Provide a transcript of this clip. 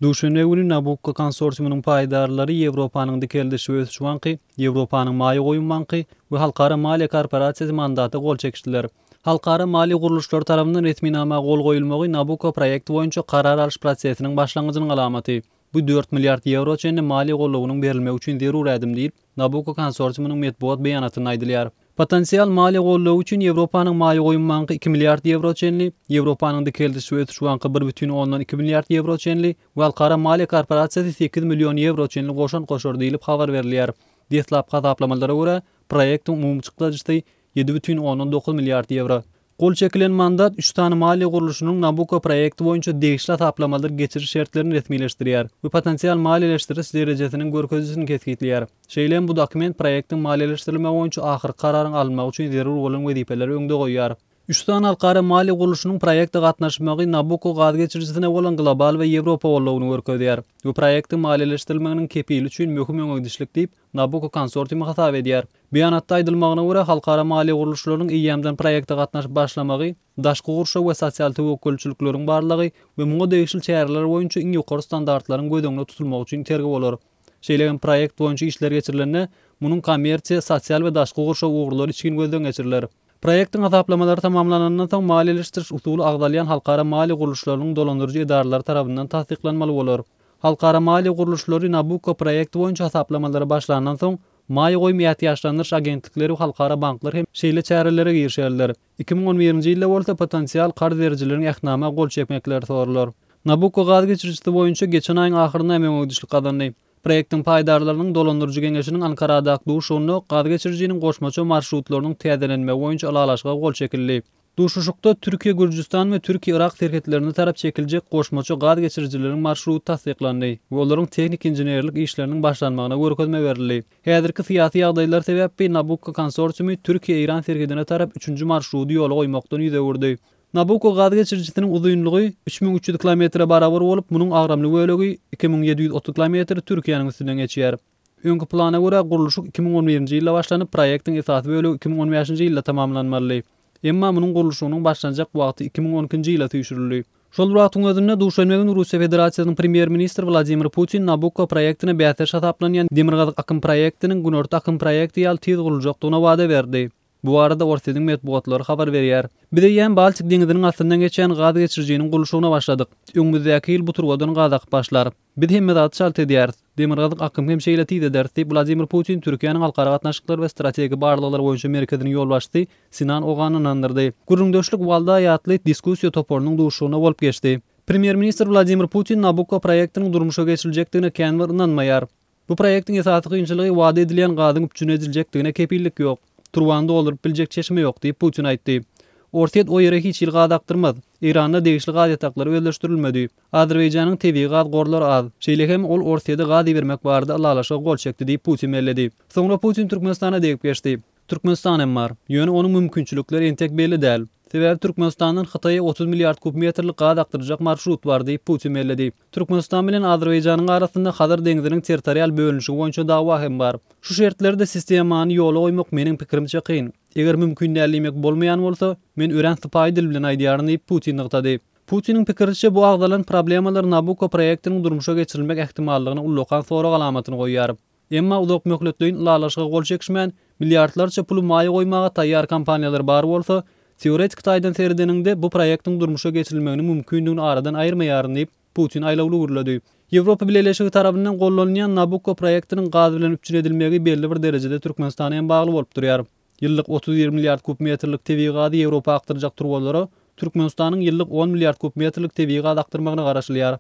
Duşenbe güni Nabukko konsorsiumynyň paýdarlary Ýewropanyň Dikeldiş we ösüş banky, Ýewropanyň Maýa goýum banky we Halkara maliýe korporasiýasy mandata gol çekişdiler. Halkara maliýe gurluşlary tarapyndan resminama gol goýulmagy Nabukko proýekti boýunça karar alyş prosesiniň başlangyjynyň alamaty. Bu dört milliard ýewro çenli maliýe goldawynyň berilmegi üçin zerur ädim diýip, Nabukko konsorsiumynyň metbugat beýanatynda aýdylýar. Potensial maliýe goldawy üçin Ýewropanyň Maýa goýum banky iki milliard ýewro çenli, Ýewropanyň Dikeldiş we ösüş banky bir bütin ondan iki milliard ýewro çenli we Halkara maliýe korporasiýasy sekiz million ýewro çenli goşant goşar diýlip habar berilýär. Deslapky hasaplamalara görä, proýektiň umumy çykdajysy ýedi bütin ondan dokuz milliard ýewro. Gol çekilen mandat üç sany maliýe gurluşynyň Nabucco proýekti boýunça degişli hasaplamalar geçiriş şertlerini resmileşdirýär we potensial maliýeleşdiriş derejesiniň görkezijisini kesgitleýär. Şeýle hem bu dokument proýektiň maliýeleşdirilmegi boýunça ahyrky kararyň alynmagy üçin zerur bolan wezipeleri öňde goýýar. Üç sany halkara maliýe gurluşynyň proýekte gatnaşmagy Nabucco gaz geçirijisine bolan global we ýewropa goldawyny görkezýär we proýektiň maliýeleşdirilmeginiň kepili üçin möhüm öňegidişlik diýip, Nabucco konsorsiumy hasap edýär. Beýanatda aýdylmagyna görä, halkara maliýe gurluşlarynyň eýýämden proýekte gatnaşyp başlamagy, daşky gurşaw we sosial töwekgelçilikleriň barlagy we muňa degişli çäreler boýunça iň ýokary standartlaryň göz öňünde tutulmagy üçin itergi bolar. Şeýle hem proýekt boýunça işler geçirilende, munuň kommersiýa, sosial we daşky gurşaw ugurlary içgin gözden geçiriler. Proýektiň hasaplamalary tamamlanandan soň maliýeleşdiriş usuly agzalýan halkara maliýe gurluşlarynyň dolandyryjy edaralary tarapyndan tassyklanmaly bolar. Halkara maliýe gurluşlary Nabukko proýekti boýunça hasaplamalara başlandan soň, Maýa goýum ätiýaçlandyryş agentlikleri we halkara banklar hem şeýle çärelere girişerler. 2011-nji ýylda bolsa potensial karz berijileriň ähtnama gol çekmekleri soralar. Nabukko gaz geçirijisi boýunça geçen aýyň ahyrynda hem öňegidişlik gazandy. Proýektiň paýdarlarynyň dolandyryjy geňeşiniň Ankaradaky duşuşygynda gaz geçirijiniň goşmaça marşrutlarynyň täzelenmegi boýunça ylalaşyga gol çekildi. Duşuşykda Türkiýe-Gürjüstan we Türkiýe-Yrak serhetlerine tarap çekiljek goşmaça gaz geçirijileriň marşruty tassyklandy we olaryň tehniki-inženerlik işleriniň başlanmagyna görkezme berildi. Häzirki syýasy ýagdaýlar sebäpli Nabukko konsorsiumy Türkiýe-Eýran serhedine tarap üçünji marşrudy ýola goýmakdan ýüz öwürdi. Nabukko gaz geçirijisiniň uzynlygy 3300 kilometre barabar bolup, munuň agramly bölegi, 2730 kilometr Türkiýäniň üstünden geçýär. Öňki plana görä, gurluşyk 2011-nji ýylda başlanyp, proýektiň esasy bölegi 2015-nji ýylda tamamlanmalydy. Emma munuň gurluşygynyň başlanjak wagty 2012-nji ýyla süýşürildi. Şol bir wagtyň özünde, duşenbe güni Russiýa Federasiýasynyň Premýer-ministri Wladimir Putin Nabukko proýektine bäsdeş hasaplanýan Demirgazyk akym proýektiniň Günorta akym proýekti ýaly tiz guruljakdygyna wada berdi. Bu barada Orsýetiň metbugatlary habar berýär. Biz eýýäm Baltik deňziniň astyndan geçýän gaz geçirijiniň gurluşygyna başladyk. Öňümizdäki ýyl bu turbadan gaz akyp başlar. Biz hemme zady çalt edýäris. Demirgazyk akym hem şeýle tiz ederis diýip, Wladimir Putin Türkiýäniň Halkara gatnaşyklary we strategik barlaglar boýunça merkeziniň ýolbaşçysy Sinan Ogany ynandyrdy. Gürrüňdeşlik Waldaý atly diskussiýa toparynyň duşuşygynda bolup geçdi. Premýer-ministr Wladimir Putin Nabukko proýektiniň durmuşa geçiriljekdigine kän bir ynanmaýar. Bu proýektiň esasy kynçylygy wada edilýän gazyň üpjün ediljekdigine kepillik ýok. Turbany dolduryp biljek çeşme ýok diýip, Putin aýtdy. Orsýet o ýere hiç hili gaz akdyrmaz. Eýranda degişli gaz ýataklary özleşdirilmedi. Azerbaýjanyň tebigy gaz gorlary az. Şeýle hem ol Orsýede gaz ibermek barada ylalaşyga gol çekdi diýip, Putin belledi. Soňra Putin Türkmenistana degip geçdi. Türkmenistan hem bar. Ýöne onuň mümkinçilikleri entek belli däl. Sebäbi Türkmenistandan Hytaýa 30 milliard kub metrlik gaz akdyrjak marşrut bar diýip, Putin belledi. Türkmenistan bilen Azerbaýjanyň arasynda Hazar deňziniň territorial bölünişigi boýunça dawa hem bar. Şu şertlerde sistemany ýola goýmak meniň pikirimçe kyn. Eger mümkin däl diýmek bolmaýan bolsa, men örän sypaýy dil bilen aýdýaryn diýip, Putin nygtady. Putiniň pikiriçe, bu agzalan problemalar Nabukko proýektiniň durmuşa geçirilmek ähtimallygyna ullakan sorag alamatyny goýýar. Emma uzakmöhletleýin ylalaşyga gol çekişmän, milliardlarça puly maýa goýmaga taýýar kompaniýalar bar bolsa, teoretiki taýdan seredeniňde, bu proýektiň durmuşa geçirilmeginiň mümkindigini aradan aýyrmaýaryn diýip, Putin aýlawly gürledi. Ýewropa Bileleşigi tarapyndan gollanylýan Nabukko proýektiniň gaz bilen üpjün edilmegi belli bir derejede Türkmenistana hem bagly bolup durýar. Ýyllyk 31 milliard kub metrlik tebigy gazy Ýewropa akdyrjak turbalara Türkmenistanyň ýyllyk on milliard kub metrlik tebigy gaz akdyrmagyna garaşylýar.